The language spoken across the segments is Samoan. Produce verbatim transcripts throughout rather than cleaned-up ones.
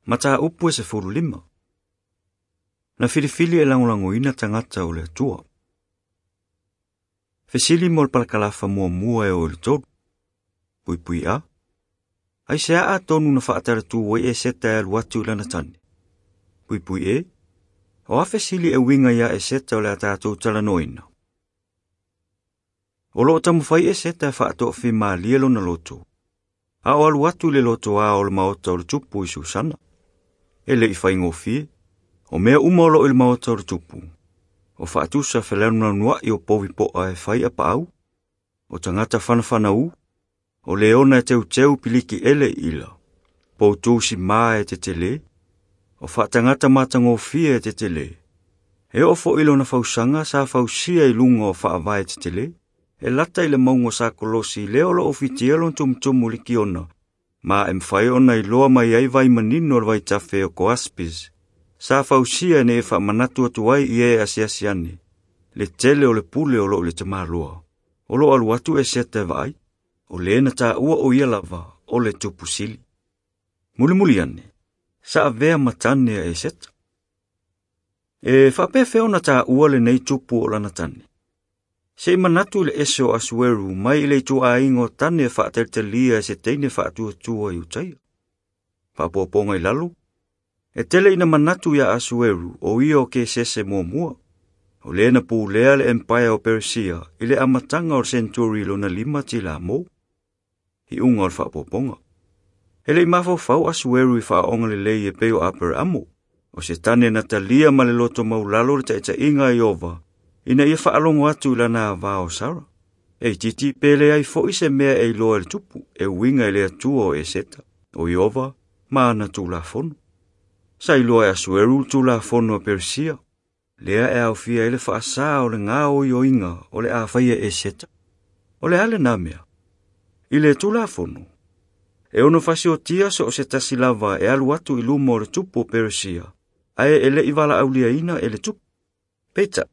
Mataupu e sefulu lima. Na filifili e lagolagoina tagata o le Atua. Fesili mo le palakalafa muamua e oo i le tolu. Puipui A. Aisea atonu na faatalatu ai Eseta e alu atu i lana tane. Puipui E. O a fesili e uiga iā Eseta o le a tatou talanoaina. O loo taumafai Eseta e faatoafimalie lona loto. A o alu atu i le lotoā o le maota o le tupu i Susana. E le i faigofie, o mea uma o loo i le maota o le tupu. O faatusa feleanuanuai o povi poa e fai a paau, o tagata fanafanaū, o leona e teuteu piliki ele i ila, poutu simā e tetele, o faatagata matagofie e tetele. E oo foʻi lona fausaga sa fausia i luga o faavae tetele, e lata i le mauga o Sakolosi lea o loo fitia lona tumutumu i le kiona, ma e mafai ona iloa mai ai vai manino o le vaitafe o Koaspis, sa fausia ina ia faamanatu atu ai i e asiasi ane, le tele o le pule o loo i le tamāloa. O loo alu atu Eseta e vaai, o lē na taua o ia lava o le tupu sili. Mulimuli ane, sa avea ma tane a Eseta. E faapefea ona taua lenei tupu o lana tane. Se i manatu i le ese o Asueru mai i le ituaiga o tane e faatalitalia e se teine faatuatua i Utaia. Faapuapuaga i lalo, e tele ina manatu ia Asueru o ia o Kesese muamua. O lē na pulea le Empire o Peresia i le amataga o le senturi lona lima tilamo. Iuga o le faapuapuaga. E le i mafaufau Asueru i faaoga lelei e pei o Aperamo, o se tane na talia ma le loto maulalo le taitaiga a Ieova, ina ia faalogo atu i lana avā o Sara. E itiiti pe leai foʻi se mea e iloa e le tupu, e uiga i le Atua o Eseta, o Ieova ma ana tulafono. Sa iloa e Asueru le tulafono a Peresia, lea e aofia ai le faasā o le gaoioiga o le a faia e Eseta. O le a lenā mea? I le tulafono, e ono fasiotia so o se tasi lava e alu atu i luma o le tupu o Peresia, ae e le i valaauliaina e le tupu. Peitai,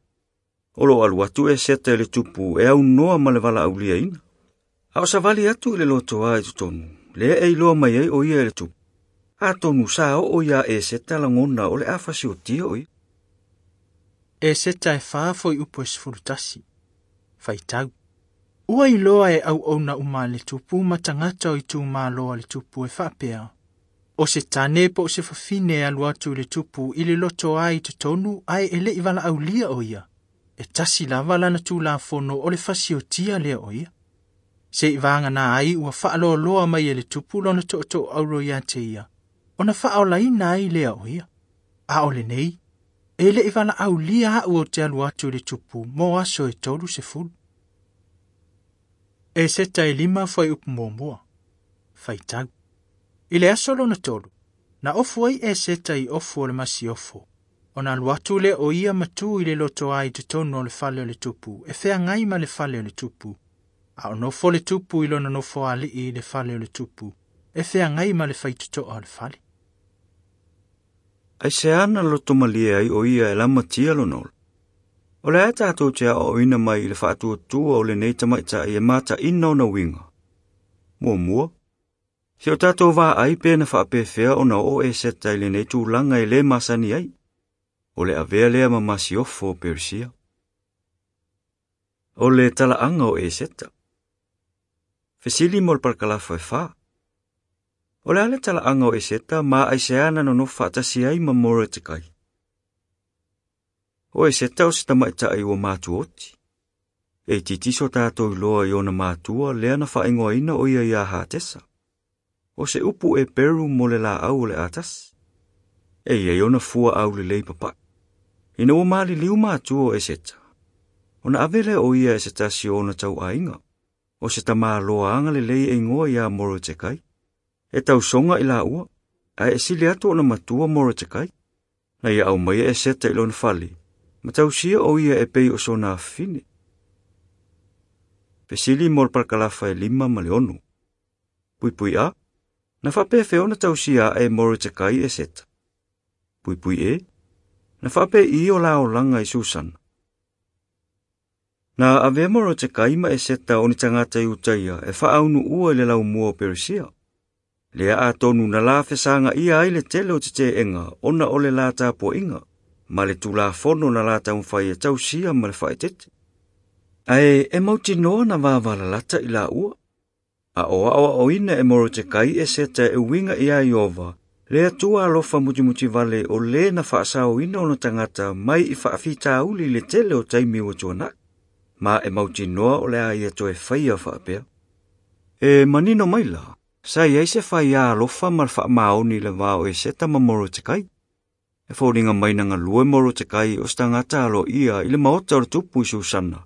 o loo alu atu Eseta i le tupu e aunoa ma le valaauliaina. A o savali atu i le lotoā i totonu, lea e iloa mai ai o ia e le tupu. Atonu sa oo iā Eseta lagona o le a fasiotia o ia. Eseta e fa fuaiupu e sefulu tasi. Faitau. Ua iloa e auauna uma a le tupu ma tagata o itumalo a le tupu e faapea. O se tane po o se fafine e alu atu i le tupu i le lotoā i totonu ae e le i valaaulia o ia. E tasi lava lana tulafono o le fasiotia lea o ia. Se i vagana ai ua faaloaloa mai e le tupu lona tootooauro ia te ia, ona faaolaina ai lea o ia. A o lenei, e le i valaaulia au ou te alu atu i le tupu mo aso e tolu sefulu. Eseta e lima fuaiupu muamua. Faitau. I le aso lona tolu, na ofu ai Eseta i ofu o le masiofo. Ona alu atu lea o ia ma tu i le lotoā i totonu o le fale o le tupu, e feagai ma le fale o le tupu. A o nofo le tupu i lona nofoalii i le fale o le tupu, e feagai ma le faitotoa o le fale. Aisea na lotomalie ai o ia e lamatia lona ola. O le a tatou te aoaoina mai i le faatuatua o lenei tamaitai e mataina ona uiga. Muamua, se o tatou vaai pe na faapefea ona oo Eseta i lenei tulaga e lē masani ai. O le avea lea ma masiofo o Peresia. O le talaaga o Eseta. Fesili mo le palakalafa e fa. O le a le talaaga o Eseta ma aisea na nonofo faatasi ai ma Moretekai. O Eseta o se tamaitai ua matuoti. E itiiti so tatou iloa i ona matua lea na faaigoaina o ia iā Hatesa. O se upu Eperu mo le laau o le atasi. E iai ona fua aulelei papaʻi. Ina ua maliliu matua o Eseta, ona ave lea o ia e se tasi o ona tauaiga, o se tamāloa agalelei e igoa iā Moretekai. E tausoga i laua, ae e sili atu ona matua Moretekai. Na ia aumaia Eseta i lona fale, ma tausia o ia e pei o sona afafine. Fesili mo le palakalafa e lima ma le ono. Puipui A, na faapefea ona tausia ae Moretekai Eseta. Puipui E, na faapei o la olaga i Susana. Na avea Moretekai ma Eseta o ni tagata Iutaia e faaunuua i le laumua o Peresia. Lea atonu na la fesanga ia ai le tele o te te'ega ona o le la tapuaiga ma le Tulafono na la taumafai e tausia ma le faaeteete. Ae e mautinoa na vavalalata i laua. A o aoaoina e Morotekai Eseta e uiga ia Ieova, le Atua alofa mutimutivale o lē na faasaoina ona tagata mai i faafitauli i le tele o taimi ua tuana'i, ma e mautinoa o le a ia toe faia faapea. E manino mai la, sa i ai se faiā alofa ma le faamaoni i le va o Eseta ma Morotekai. E foliga mai na galue Morotekai o se tagata aloaia i le maota o le tupu i Susana,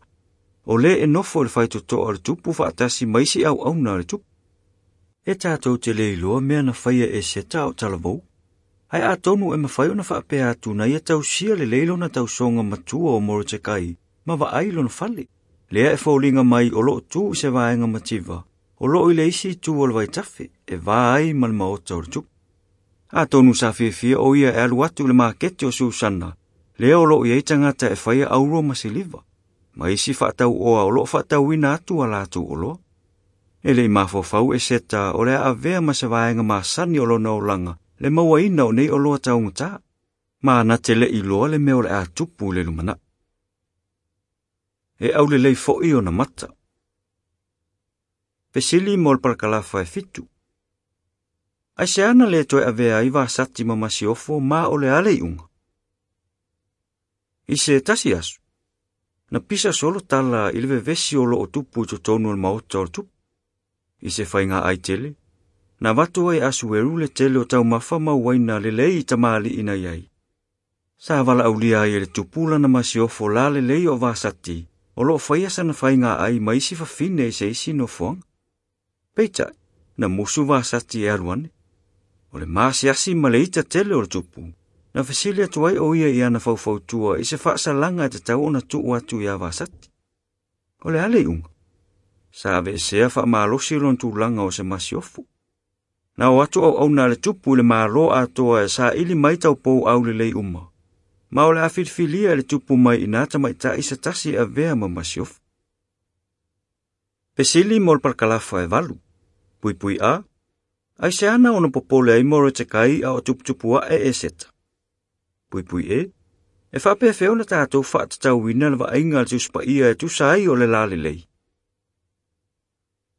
o lē e nofo i le faitotoa o le tupu faatasi ma isi auauna a le tupu. E tatou te le iloa mea na faia e Eseta o talavou, ae atonu e mafai ona faapea atu na ia tausia lelei lona tausoga matua o Morotekai ma vaai lona fale. Lea e foliga mai o loo tu i se vaega mativa, o loo i le isi itu o le vaitafe, e va ai ma le maota o le tupu. Atonu sa fiafia o ia e alu atu i le makete o Susana, lea o loo i ai tagata e faia auro ma siliva, ma isi faatauoa o loo faatauina atu a latou oloa. E le i mafaufau Eseta o le a avea ma se vaega masani o lona olaga le mauaina o nei oloa taugata, ma na te le iloa le mea o le a tupu i le lumanai. E aulelei fo'i ona mata. Fesili mo le palakalafa e fitu. Ai se ana le toe avea ai Vasati ma masiofo ma o le a le iuga. I se tasi aso, na pisa solo tala i le vevesi o loo tupu i totonu o le maota o le tupu. I se faiga ai tele, na avatu ai Asueru le tele o taumafa ma uaina lelei i tamalii na i ai. Sa valaaulia ai e le tupu lana masiofo la lelei o Vasati, o loo faia sana faiga ai ma isi fafine i se isi nofoaga. Peitai, na musu Vasati e alu ane. O le masiasi ma le ita tele o le tupu, na fesili atu ai o ia i ana faufautua i se faasalaga e tatau ona tuu atu ia Vasati. O le a le iuga? Sa aveesea faamalosi lona tulaga o se masiofo. Na o atu auauna a le tupu i le malo atoa e saili mai taupou aulelei uma, ma o le a filifilia e le tupu mai ina tamaitai se tasi e avea ma masiofo. Fesili mo le palakalafa e valu. Puipui a, ai se ana ona popole ai Morotekai a o tuputupu ae Eseta. Puipui e, e faapefea ona tatou faatatauina le vaaiga a le Tusi Paia e tusa ai o le lalelei.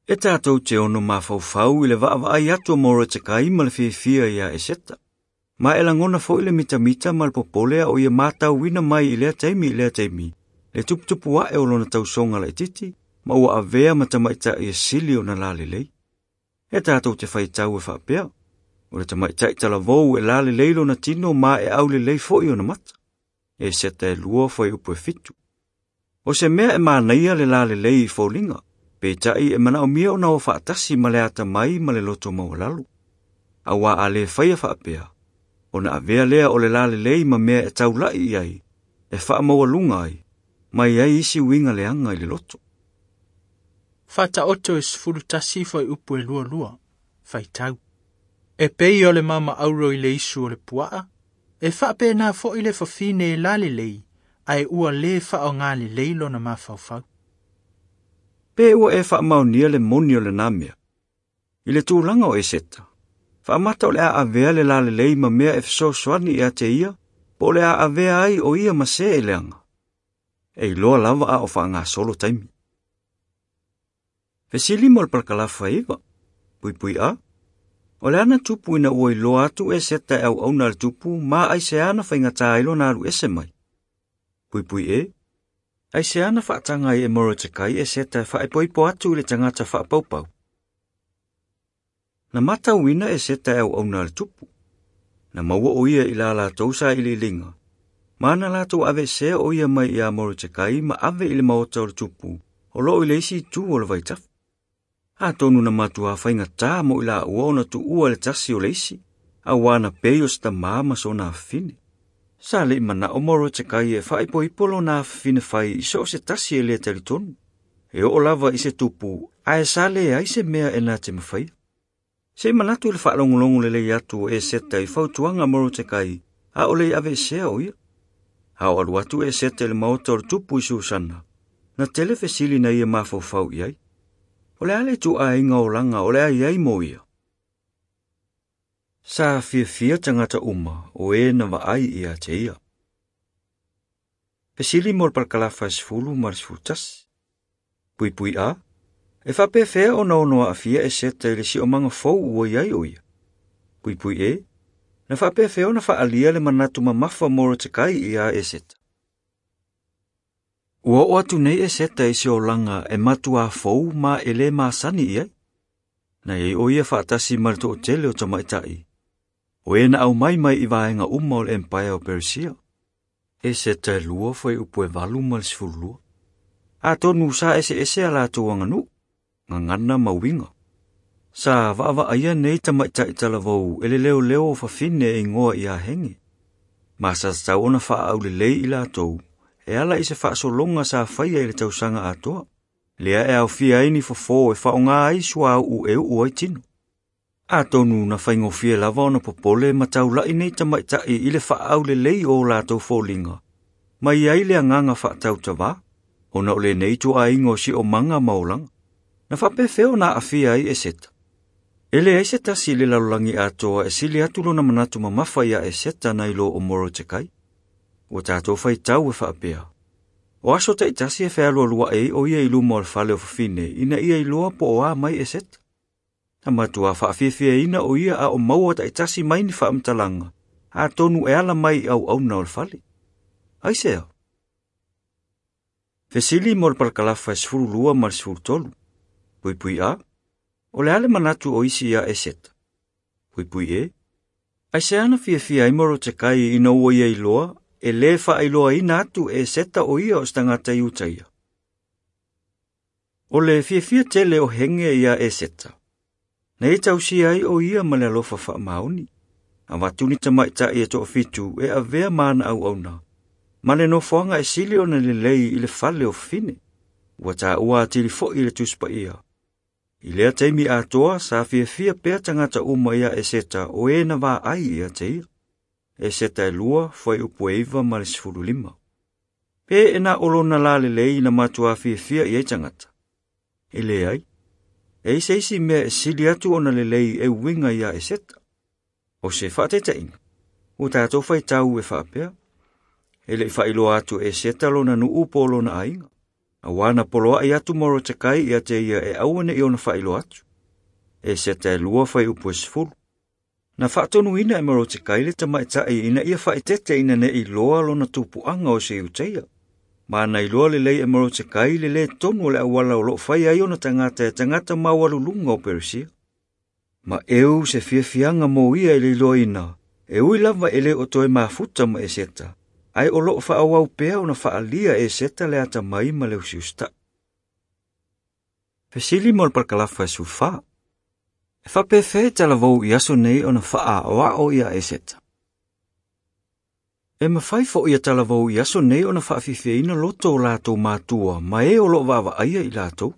E tatou te ono mafaufau i le vaavaai atu o Morotekai ma le fiafia ia Eseta. Ma e lagona fo'i le mitamita ma le popole a o ia matauina mai i lea taimi i lea taimi, le tuputupu ae o lona tausoga laitiiti, ma ua avea ma tamaitai e sili ona lalelei. E tatou te faitau e faapea, o le tamaitai talavou e lalelei lona tino ma e aulelei fo'i ona mata. Eseta e lua fuaiupu e fitu. O se mea e manaia le lalelei i foliga, peitai e manaomia ona o faatasi ma le atamai ma le loto maualalo. Auā a lē faia faapea, ona avea lea o le lalelei ma mea e taula'i i ai, e faamaualuga ai, ma i ai isi uiga leaga i le loto. Faataoto e sefulu tasi fuaiupu e lua lua. Faitau. E pei o le mama auro i le isu o le puaa, e faapena fo'i le fafine e lalelei, ae ua lē faaaogā lelei lona mafaufau. Pe ua e faamaonia le moni o lenā mea. I le tulaga o Eseta, faamata o le a avea le lalelei ma mea e fesoasoani ia te ia, po o le a avea ai o ia ma se e leaga. E iloa lava a o faagasolo taimi. Fesili mo le palakalafa e iva. Puipui a, o le ana tupu ina ua iloa atu Eseta e auauna a le tupu ma ai se ana faigatā ai lona alu ese mai. Puipui e, ai se ana faataga ai e Morotekai Eseta e faaipoipo atu i le tagata faapaupau. Na matauina Eseta e auauna a le tupu. Na maua o ia i la latou sailiiliga, ma na latou aveesea o ia mai ia Morotekai ma ave i le maota o le tupu, o loo i le isi itu o le vaitafe. Atonu na matuā faigatā mo i laua ona tuua le tasi o le isi, auā na pei o se tamā ma sona afafine. Sa le i manao Morotekai e faaipoipo lona afafine fai i so o se tasi e lē talitonu. E oo lava i se tupu, ae sa leai se mea e na te mafaia. Se i manatu i le faalogologo lelei atu o Eseta i fautuaga a Morotekai, a o le i aveesea o ia. A o alu atu Eseta i le maota o le tupu i Susana, na tele fesili na ia mafaufau i ai. O le a le ituaiga olaga o le a i ai mo ia. Sa fiafia tagata uma o e na vaai ia te ia. Fesili mo le palakalafa e sefulu ma le sefulu tasi. Puipui a, e faapefea ona ono aafia Eseta i le siomaga fou ua i ai o ia. Puipui e, na faapefea ona faaalia le manatu mamafa Morotekai ia Eseta. Ua oo atu nei Eseta i se olaga e matuā fou ma e lē masani i ai. Na iai o ia faatasi ma le toʻatele o tamaʻitaʻi. O e na aumai mai i vaega uma o le empaea o Peresia. Eseta e lua fuaiupu e valu ma le sefululua. Atonu sa eseese a latou aganuu, gagana ma uiga. Sa vaavaaia nei tamaʻitaʻi talavou e le leoleo o fafine e igoa iā Hege. Ma sa tatau ona faaaulelei i latou, e ala i se faasologa sa faia i le tausaga atoa. Lea e aofia ai ni fofō e faaaogā ai suauu e uu ai tino. Atonu na faigofie lava ona popole ma taulaʻi nei tamaʻitaʻi i le faaaulelei o latou foliga, ma i ai le agaga faatautavā, ona o lenei ituaiga o siomaga ma olaga. Na faapefea ona aafia ai Eseta. E leai se tasi i le lalolagi atoa e sili atu lona manatu mamafa iā Eseta nai lo o Morotekai. Ua tatou faitau e faapea. O aso taʻitasi e fealualuaʻi ai o ia i luma o le fale o fafine ina ia iloa po o a mai Eseta. Na matuā faafiafiaina o ia a o maua taʻitasi mai ni faamatalaga, atonu e ala mai i auauna o le fale. Aisea? Fesili mo le palakalafa e sefululua ma le sefulutolu. Puipui a, o le a le manatu o isi iā Eseta. Puipui e, aisea na fiafia ai Morotekai ina ua ia iloa e lē faailoaina atu e Eseta o ia o se tagata Iutaia. O le fiafia tele o Hege iā Eseta. Na ia tausia ai o ia ma le alofa faamaoni. Avatu ni tamaʻitaʻi e toafitu e avea ma ana auauna. Ma le nofoaga e sili ona lelei i le fale o fafine. Ua taua atili foʻi le Tusi Paia. I lea taimi atoa sa fiafia pea tagata uma iā Eseta o e na vaai ia te ia. Eseta e lua fuaiupu e iva ma le sefululima. Pe e na o lona lalelei na matuā fiafia i ai tagata. E leai, e i se isi mea e sili atu ona lelei e uiga iā Eseta. O se faataitaiga, ua tatou faitau e faapea. E leʻi faailoa atu e Eseta lona nuu po o lona aiga. Auā na poloaʻi atu Morotekai ia te ia e aua neʻi ona faailoa atu. Eseta e lua fuaiupu e sefulu. Na faatonuina e Morotekai le tamaʻitaʻi ina ia faaeteete ina neʻi iloa lona tupuaga o se Iutaia. Ma na iloa lelei e Morotekai le lē tonu o le auala o loo fai ai ona tagata e tagata maualuluga o Peresia. Ma eu se fiafiaga mo ia i le iloaina, e ui lava e lē o toe mafuta ma Eseta, ae o loo faaauau pea ona faaalia e Eseta le atamai ma le usiusitaʻi. Fesili mo le palakalafa e sefulufā. E faapefea e talavou i aso nei ona faaaoao ia Eseta. E mafai foʻi ia talavou i aso nei ona faafiafiaina loto o latou matua ma e o loo vaavaaia i latou.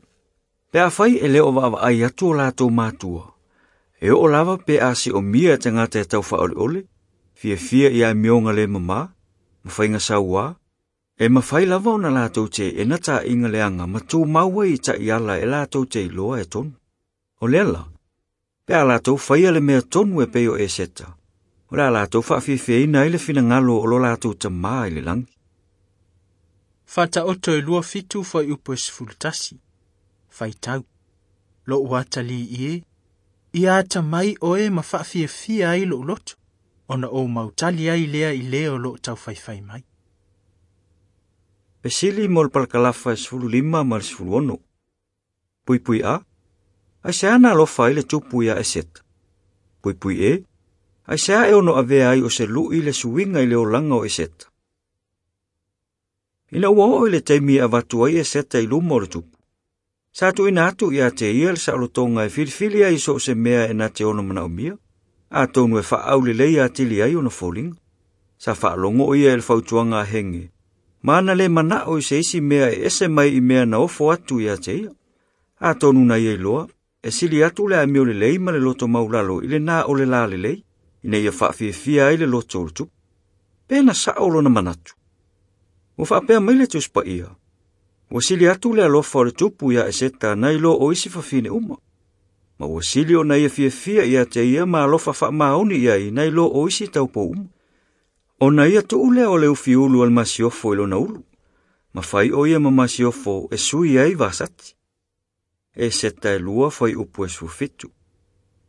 Pe afai e lē o vaavaai atu o latou matua, e oo lava pe a siomia e tagata e taufaaoleole, fiafia i amioga lē mamā, ma faiga sauā, e mafai lava ona latou teena taʻiga leaga ma tumau ai i taʻiala e latou te iloa e tonu. O lea la, pe a latou faia le mea tonu e pei o Eseta, o le a latou faafiafiaina ai le finagalo o lo latou tamā i le lagi. Faataoto e lua fitu fuaiupu e sefulu tasi. Faitau. Loʻu atalii e, ia atamai oe ma faafiafia ai loʻu loto, ona ou mautali ai lea i le o loo taufaifai mai. Fesili mo le palakalafa e sefululima ma le sefuluono. Puipui a, aisea na alofa ai le tupu iā Eseta. Puipui e, aisea e ono avea ai o se luʻi le suiga i le olaga o Eseta. Ina ua oo i le taimi e avatu ai Eseta i luma o le tupu. Sa tuuina atu ia te ia le saolotoga e filifili ai so o se mea e na te ono manaomia, atonu e faaaulelei atili ai ona foliga. Sa faalogo o ia i le fautuaga a Hege, ma na lē manaʻo i se isi mea e ese mai i mea na ofo atu ia te ia. Atonu na ia iloa, e sili atu le amio lelei ma le loto maulalo i lenā o le lalelei, ina ia faafiafia ai le loto o le tupu. Pe na saʻo lona manatu. Ua faapea mai le Tusi Paia. Ua sili atu le alofa o le tupu iā Eseta nai lo o isi fafine uma. Ma ua sili ona ia fiafia ia te ia ma alofa faamaoni i ai nai lo o isi taupou uma. Ona ia tuu lea o le ufiulu o le masiofo i lona ulu. Ma fai o ia ma masiofo e sui ai Vasati. Eseta e lua fai upu e sufitu.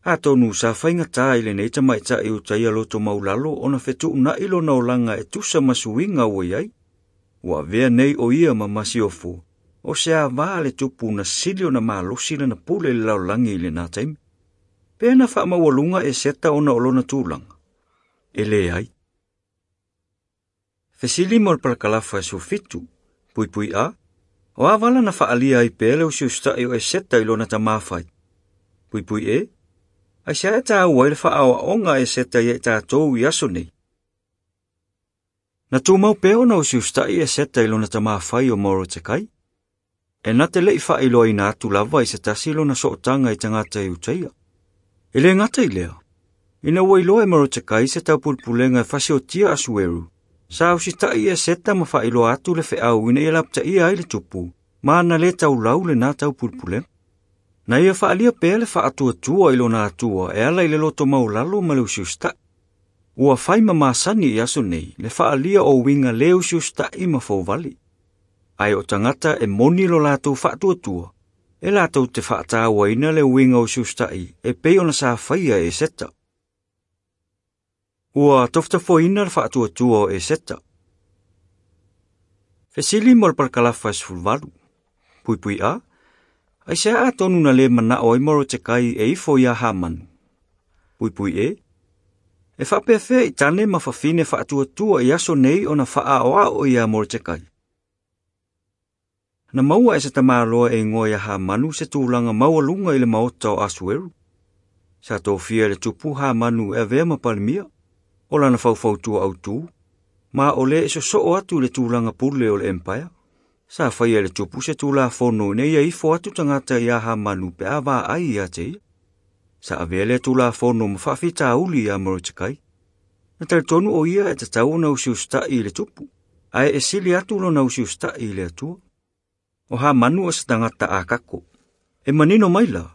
Atonu sa faigata i lenei tamaitai Iutaia loto maulalo ona fetuunai lona olaga e tusa ma suiga ua i ai. Ua avea nei o ia ma masiofo, o se avā le tupu na sili ona malosi lana pule i le lalolagi i lena taimi. Pe na faamaualuga Eseta ona o lona tulaga. E leai. Fesili mo le palakalafa e sufitu, puipui a, o a vala na faalia ai pea le usiusitai o Eseta i lona tamāfai. Puipui e, ai se e tāua ai le faaoaoga a Eseta ia i tātou i aso nei. Na tumau pea ona usiusitai Eseta i lona tamāfai o Morotekai. E na te lei faailoaina atu lava i se tasi lona sootaga i tagata Iutaia. E le gata i lea, ina ua iloa e Morotekai se taupulepulega e fasiotia Asueru, sa usitai Eseta ma faailoa atu le feau ina ia lapataia ai le tupu, ma na le taulau lena taupulepulega. Na ia faalia pea le faatuatua i lona atua e ala i le loto maulalo ma le usiusitai. Ua fai ma masani i aso nei le faalia o uiga le usiusitai ma fouvale. Ae o tagata e moni lo latou faatuatua, e latou te faatauaina le uiga usiusitai e pei ona sa faia e Eseta. Ua tofutafoina le faatuatua o Eseta. Fesili mo le palakalafa e sefuluvalu. Puipui a, ai se atonu na le manao ai Morotekai e ifo ia Hamanu. Puipui e, e faapefea i tane ma fafine faatuatua i aso nei ona faaoao ia Morotekai. Na maua e se tamaloa e ingoa ia Hamanu se tulaga maualuga i le maota o Asueru. Sa tofia le tupu Hamanu e avea ma palemia, o lana faufautua autū, ma o le e sosoo atu le tulaga pule o le empire. Sa faia le tupu se tulafono ina ia ifo atu tagata ia Hamanu pe a vaai ia te ia. Sa avea lea tulafono ma faafitauli ia Morotekai. Na talitonu o ia e tatau ona usiusitai i le tupu, ae e sili atu lona usiusitai i le Atua. O Hamanu o se tagata akako. E manino mai la,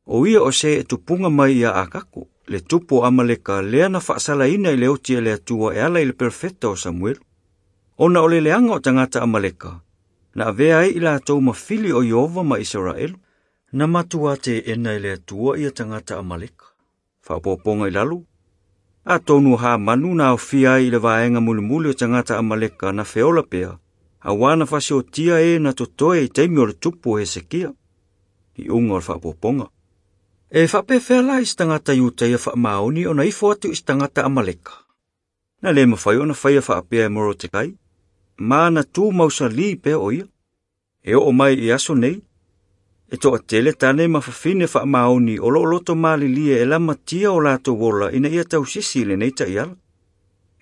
o ia o se e tupunga mai ia akako, le tupu o Amaleka lea na faasalaina i le oti e le Atua e ala i le perfeta o Samuelu. Ona o le leaga o tagata Amaleka, na avea ai i latou mafili o Iova ma Isaraelu, na matua teena i le Atua ia tagata Amaleka. Faapopoga i lalo, atonu o Hamanu na aofia ai i le vaega mulimuli o tagata Amaleka na feola pea, auā na fasiotia e na totoe i taimi o le tupu o Hesekia. I uga o le faapopoga. E faapefea la i se tagata Iutaia faamaoni ona ifo atu i se tagata Amaleka. Na le mafai ona faia faapea e Morotekai, ma na tu mausali pea o ia. E oo mai i aso nei, e toatele tane ma fafine faamaoni o loo loto malilie e lamatia o latou ola ina ia tausisi i lenei taiala.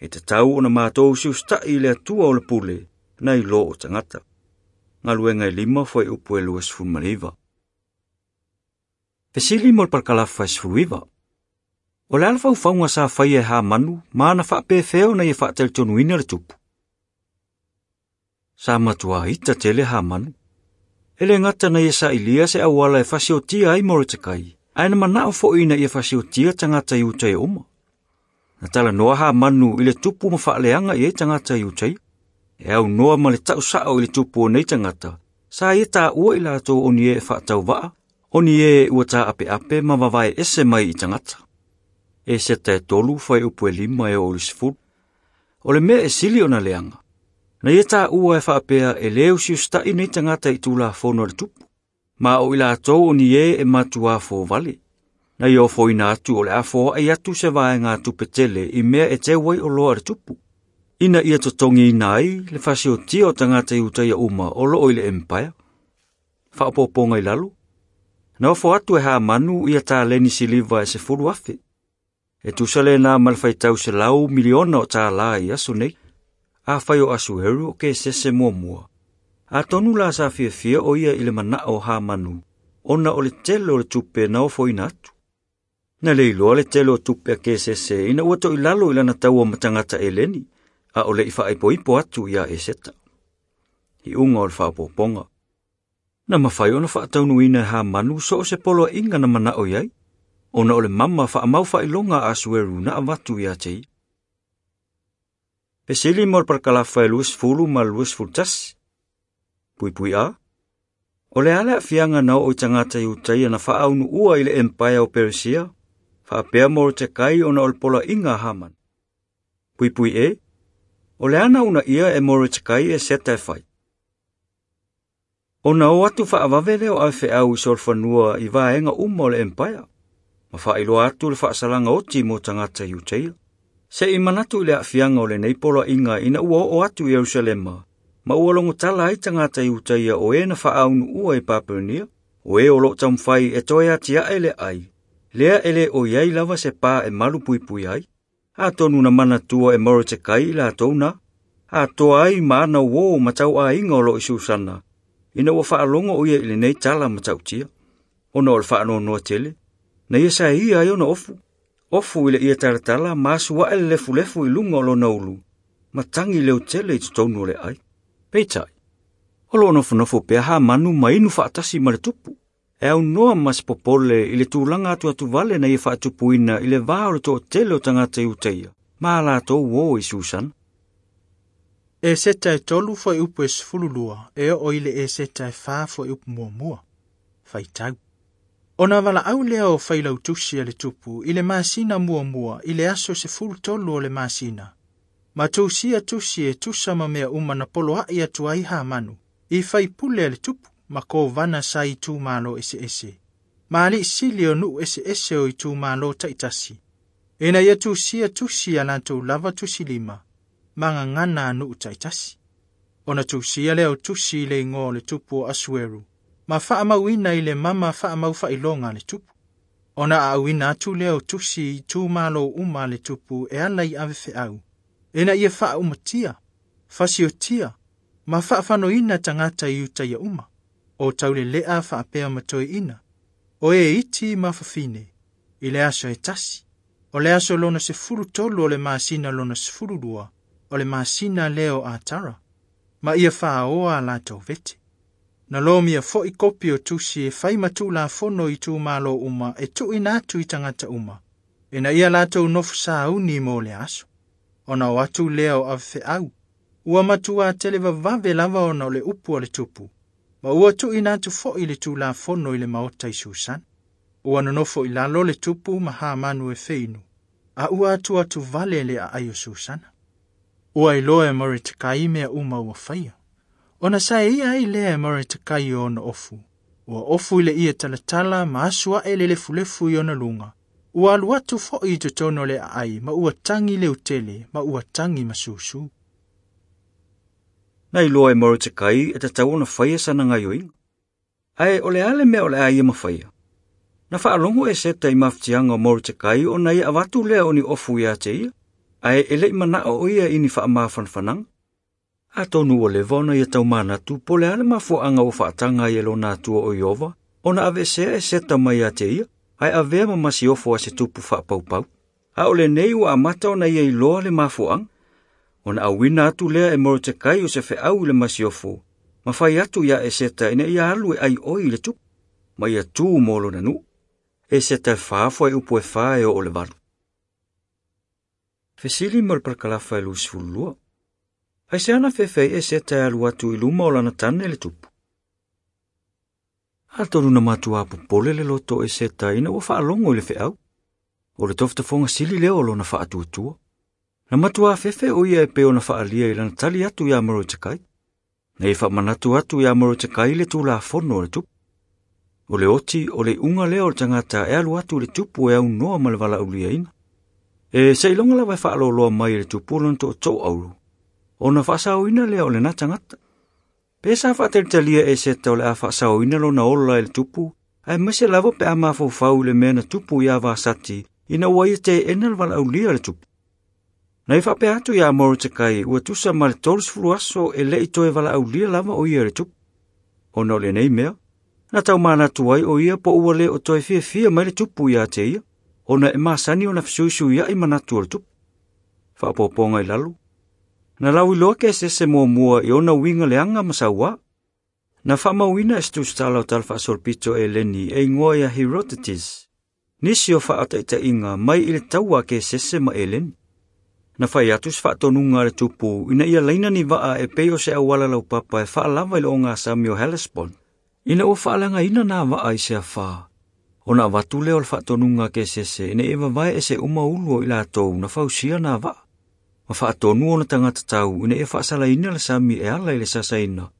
E tatau ona matou usiusitai i le Atua o le pule, nai lo o tagata. Galuega e lima foi upu e lua sefulu ma le iva. Fesili mo le palakalafa e sefulu iva. O le a le faufauga sa faia e Hamanu ma na faapefea ona ia faatalitonuina le tupu. Sa matua ita tele Hamanu. E le gata na ia sailia se auala e fasiotia ai Morotekai, ae na manao foi ina ia fasiotia tagata Iutaia uma. Na talanoa Hamanu i le tupu ma faaleaga i ai tagata Iutaia. E aunoa ma le tausao i le tupu o nei tagata, sa ia taua i latou o ni e faatauvaa, o ni e ua taapeape ma vavae ese mai i tagata. Eseta e tolu fai upu e lima e oo i le sefulu. O le mea e sili ona leaga, na ia taua e faapea e le usiusitai nei tagata i tulafono a le tupu, ma o i latou o ni e e matuā fovale. Na ia ofoina atu o le a foai atu se vaega tupe tele i mea e teu ai oloa a le tupu, ina ia totogiina ai le fasiotia o tagata Iutaia uma o loo i le empire. Faapopoga i lalo, na ofo atu e Hamanu ia taleni siliva e sefulu afe. E tusa lena ma le faitau selau miliona o tālā i aso nei. Afai o Asueru o ke sese muamua. Atonu la sa fiafia o ia i le manao o Hamanu, ona o le tele o le tupe na ofoina atu. Na le iloa le tele o tupe a ke sese ina ua toilalo i lana taua ma tagata Eleni, a o le i faaipoipo atu ia Eseta. I unga o le faapopoga. Na mafai ona faataunuina e Hamanu so o se poloaiga na manao i ai, ona o le mama faamau faailoga a Asueru na avatu ia te ia. Fesili mo le parakalafa e luasefulu ma le luasefulu tasi. Puipui A. O le a le aafiaga na oo i tagata Iutaia na faaunuua i le empaea o Peresia, faapea Moretekai ona o le poloaiga a Hamani. Puipui E. O le a na uunaia e Moretekai Eseta e fai. Ona o atu faavave lea o avefeau i solofanua i vaega uma o le empaea, ma faailoa atu le faasalaga oti mo tagata Iutaia. Se i manatu i le aafiaga o lenei poloaiga ina ua oo atu i Ierusalema, ma ua logotala ai tagata Iutaia o e na faaunuua i Papelonia, o e o loo taumafai e toe atiae le ai, lea e le o i ai lava se pa e malu puipui ai. Atonu na manatua e Moretekai i latou na, atoa ai ma ana uō ma tauaiga o loo i Susana, ina ua faalogo o ia i lenei tala matautia. Ona o le faanoanoa tele, na ia saia ai ona ofu, ofu i le ia talatala ma asuae le lefulefu i luga o lona ulu, ma tagi leotele i totonu o le ai. Peitai, o loo nofonofo pea Hamanu ma inu faatasi ma le tupu, e aunoa ma se popole i le tulaga atuatuvale na ia faatupuina i le va o le toatele o tagata Iutaia, ma a latou uō i Susana. Eseta e tolu fuaiupu e sefululua e oo i le Eseta e fa fuaiupu muamua. Faitau. Ona valaau lea o failautusi a le tupu i le masina muamua i le aso sefulu tolu o le masina. Ma tusia tusi e tusa ma mea uma na poloai atu ai Hamanu i faipule a le tupu ma kovana sa itumalo eseese. Ma alii sili o nuu eseese o itumalo taitasi. Ina ia tusia tusi a latou lava tusilima, ma gagana a nuu taitasi. Ona tusia lea o tusi i le igoa o le tupu o Asueru, ma faamauina i le mama faamau faailoga a le tupu. Ona aauina atu lea o tusi i itumalo uma a le tupu e ala i avefeau, ina ia faaumatia, fasiotia, ma faafanoina tagata Iutaia uma, o taulelea faapea ma toeaina, o e iti ma fafine, i le aso e tasi, o le aso lona sefulu tolu o le masina lona sefulu lua, o le masina lea o Atara, ma ia faaoa a latou vete. Na lomia foi kopi o tusi e fai ma tulafono i itumalo uma e tuuina atu i tagata uma, ina ia latou nofo sauni mo le aso. Ona o atu lea o avefeau, ua matua tele vavave lava ona o le upu a le tupu, ma ua tuuina atu foi le tulafono i le maota i Susana. Ua nonofo i lalo le tupu ma Hamanu e feinu, a ua atu atu vale le aai o Susana. Ua iloa e Moretekai mea uma ua faia. Ona saeia ai lea e Moretekai o ona ofu. Ua ofu i le ia talatala ma asuae le lefulefu i ona luga. Ua alu atu foi i totonu o le aai ma ua tagi leutele ma ua tagi masusu. Na iloa e Moretekai e tatau ona faia sana gaioiga. Ae o le a le mea o le a ia mafaia. Na faalogo Eseta i mafatiaga o Moretekai ona ia avatu lea o ni ofu ia te ia, ae e le'i manao o ia i ni faamafanafanaga. Atonu ua leva ona ia taumanatu po o le a le mafuaaga ua faataga ai e lona Atua o Ieova, ona aveesea Eseta mai ia te ia, ae avea ma masiofo a se tupu faapaupau. A o lenei ua amata ona ia iloa le mafuaaga. Ona auina atu lea e Moretekai o se feau i le masiofo, ma fai atu ia Eseta ina ia alu e aioi i le tupu, ma ia tu mo lona nuu. Eseta e fa fuaiupu e fa e oo le valu. Fesili mo le parakalafa e luasefululua. Aisea na fefe Eseta e alu atu i luma o lana tane le tupu. Atonu na matua popole le loto o Eseta ina ua faalogo i le feau. O le tofotofoga sili lea o lona faatuatua. Na matua fefe o ia e pei ona faalia i lana tali atu ia Moretekai. Na ia faamanatu atu ia Moretekai le tulafono o le tupu. O le oti o le iuga lea o le tagata e alu atu i le tupu e aunoa ma le valaauliaina. E seiloga lava e faaloloa mai e le tupu lona tootoo auro, ona faasaoina lea o lena tagata. Pe sa faatalitalia Eseta o le a faasaoina lona ola e le tupu, aemaise lava pe a mafaufau i le mea na tupu ia Vasati ina ua ia teena le valaaulia le tupu. Na ia faapea atu ia Moretekai ua tusa ma le tolusefulu aso e le'i toe valaaulia lava o ia i le tupu. Ona o lenei mea, na taumanatu ai o ia po ua le o toe fiafia mai le tupu ia te ia, ona e masani ona fesuisuiai manatu o le tupu. Faapopoga i lalo, na lauiloa ke sese muamua i ona uiga leaga ma sauā. Na faamauina e se tusitala o tala faasolopito e Eleni e igoa ia Herodotus, nisi o faataitaiga mai i le taua a Kesese ma Eleni. Na fai atu se faatonuga a le tupu ina ia laina ni vaa e pei o se auala laupapa e faalava i le ogasami o Hellespont, ina ua faaleagaina na vaa i se afā, ona avatu lea o le faatonuga a Kesese ina ia vavae ese uma ulu o i latou na fausia na vaa, ma faatonu ona tagata tau ina ia faasalaina le sami e ala i le sasaina,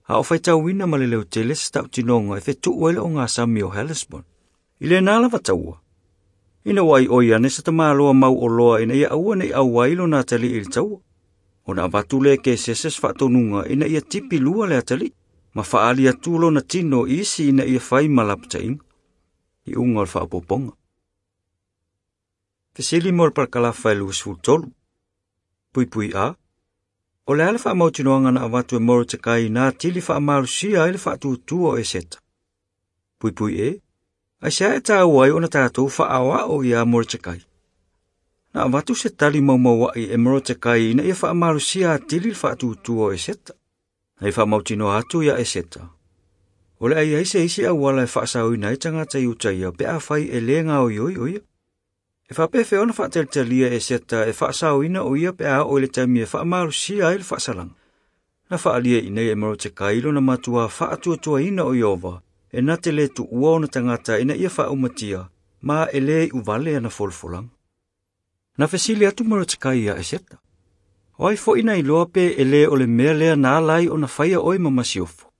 a o faitauina ma le leotele se tautinoga e fetuu ai le ogasami o Hellespont. I lena lava taua, ina ua aioi ane se tamaloa mau oloa ina ia aua nei auai lona atalii i le taua, ona avatu lea e Kesese se faatonuga ina ia tipi lua le atalii, ma faali atu lona tino i isi ina ia fai ma lapataiga. Iuga o le faaopoopoga. Fesili mo le parakalafa e luasefulu tolu. Puipui A. O le a le faamautinoaga na avatu e Morotekai na atili faamalosia ai le faatuatua o Eseta. Puipui E. Aisea e tāua ai ona tatou faaoao ia Morotekai. Na avatu se tali maumauai e Morotekai ina ia faamalosia atili le faatuatua o Eseta. Na i faamautinoa atu ia Eseta. O le ai ai se isi auala e faasaoina ai tagata i uta ia pe afai e lē gaoioi o ia. E faapefea ona faatalitalia e Eseta e faasaoina o ia pe a oo i le taimi e faamalosia ai le faasalaga. Na faalia i nei e Morotekai lona matuā faatuatuaina o Ieova e na te lē tuua ona tagata ina ia faaumatia ma e lē iuvale ana folafolaga. Na fesili atu Morotekai ia Eseta. O ai foʻi na iloa pe e lē o le mea lea na ala ai ona faia oe ma masiofo.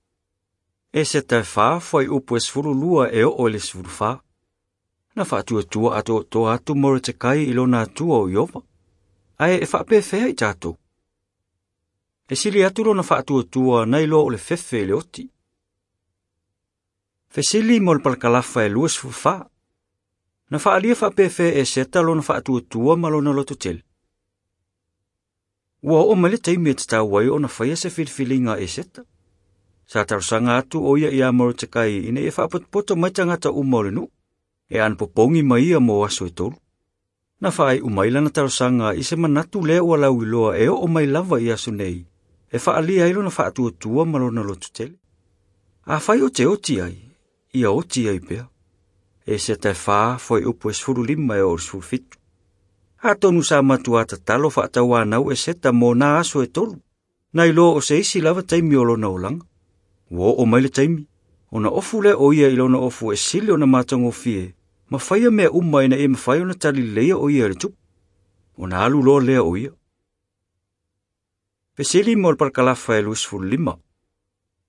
Eseta e fa fuaiupu e sefulu lua e oo i le sefulu fa. Na faatuatua atoatoa atu Morotekai i lona atua o Ieova, ae e faapefea i tatou. E sili atu lona faatuatua na iloa o le fefe i le oti. Fesili mo le parakalafa e luasefulu fa. Na faalia faapefea e Eseta lona faatuatua ma lona lototele. Ua oo mai le taimi e tatau ai ona faia se filifiliga a Eseta. Sa talosaga atu o ia ia Morotekai ina ia faapotopoto mai tagata uma o le nuu, e anapopogi mai ia mo aso e tolu. Na faaiu mai lana talosaga i se manatu lea ua lauiloa e oo mai lava i aso nei, e faalia ai lona faatuatua ma lona lototele. Afai o te oti ai, ia oti ai pea. Eseta e fa fuaiupu e sefulu lima e oo i le sefulu fitu. Atonu sa matuā tatalo faatauanau Eseta mo na aso e tolu, na iloa o se isi lava taimi o lona olaga. Ua oo mai le taimi, ona ofu lea o ia i lona ofu e sili ona matagofie, ma faia mea uma ina ia mafai ona talileleia o ia i le tupu. Ona alu loa lea o ia. Fesili mo le parakalafa e luasefulu lima.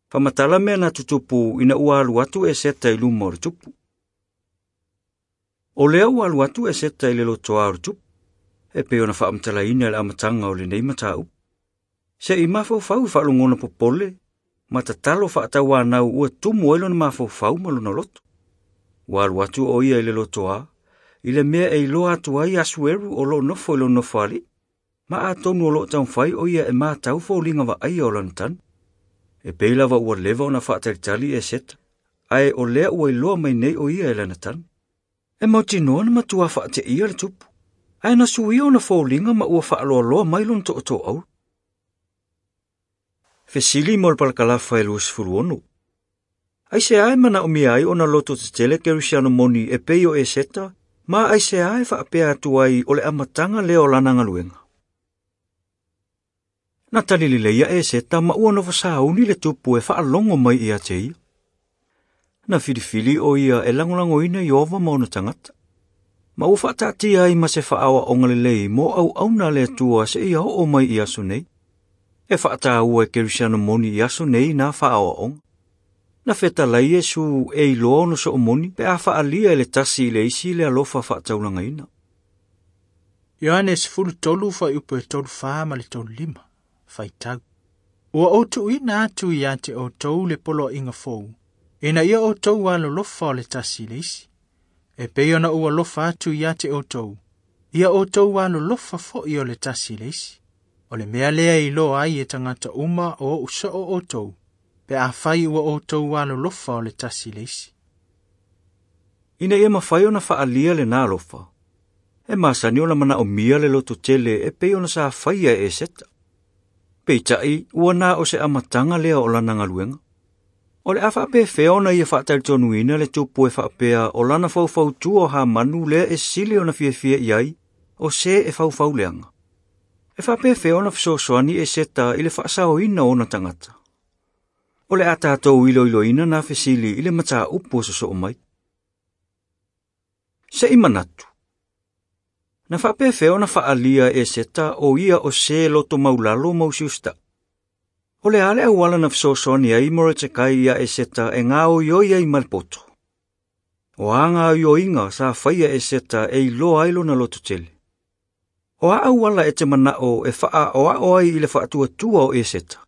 Faamatala mea na tutupu ina ua alu atu Eseta i luma o le tupu. O lea ua alu atu Eseta i le lotoa o le tupu, e pei ona faamatalaina i le amataga o lenei mataupu. Se i mafaufau i faalogona popole, ma tatalo faatauanau ua tumu ai lona mafaufau ma lona loto. Ua alu atu o ia i le lotoa, i le mea e iloa atu ai Asueru o loo nofo i lona nofoalii, ma atonu o loo taumafai o ia e matau foliga vaaia o lana tanu. E pei lava ua leva ona faatalitali Eseta, ae o lea ua iloa mai nei o ia e lana tanu. E mautinoa na matuā faateia le tupu, ae na suia ona foliga ma ua faaloaloa mai lona tootooaulu. Fesili mo le parakalafa e luasefulu ono. Aisea e manaomia ai ona loto tetele Kerisiano moni e pei o Eseta, ma aisea e faapea atu ai o le amataga lea o lana galuega. Na talileleia Eseta ma ua nofo sauni le tupu e faalogo mai ia te ia. Na filifili o ia e lagolagoina Ieova ma ona tagata. Ma ua faataatia ai ma se faaoaoga lelei mo auauna a le Atua seia oo mai i aso nei. E faataua e Kerisiano moni i aso nei na faaoaoga. Na fetalai Iesu e iloa ona soomoni pe a faalia e le tasi i le isi le alofa faataulagaina. Ioane sefulu tolu fuaiupu e tolu fa ma le tolu lima. Faitau. Ua ou tuuina atu ia te outou le poloaiga fou, ina ia outou alolofa o le tasi i le isi. E pei ona ou alofa atu ia te outou, ia outou alolofa foʻi o le tasi i le isi. O le mea lea e iloa ai e tagata uma o ou soo outou, pe afai ua outou alolofa o le tasi i le isi. Ina ia mafai ona faalia lena alofa, e masani ona manaomia le lototele e pei ona sa faia e Eseta. Peitai ua na o se amataga lea o lana galuega. O le a faapefea ona ia faatalitonuina le tupu e faapea o lana faufautua o Hamanu lea e sili ona fiafia i ai, o se e faufauleaga. E faapefea ona fesoasoani Eseta i le faasaoina o ona tagata. O le a tatou iloiloina na fesili i le mataupu o sosoo mai. Se i manatu. Na faapefea ona faaalia e Eseta o ia o se loto maulalo ma usiusitaʻi. O le a le auala na fesoasoani ai Moretekai ia Eseta e gaoioi ai ma le poto. O a gaoioiga sa faia e Eseta e iloa ai lona lototele. O a auala e te manao e faaoao ai i le faatuatua o Eseta.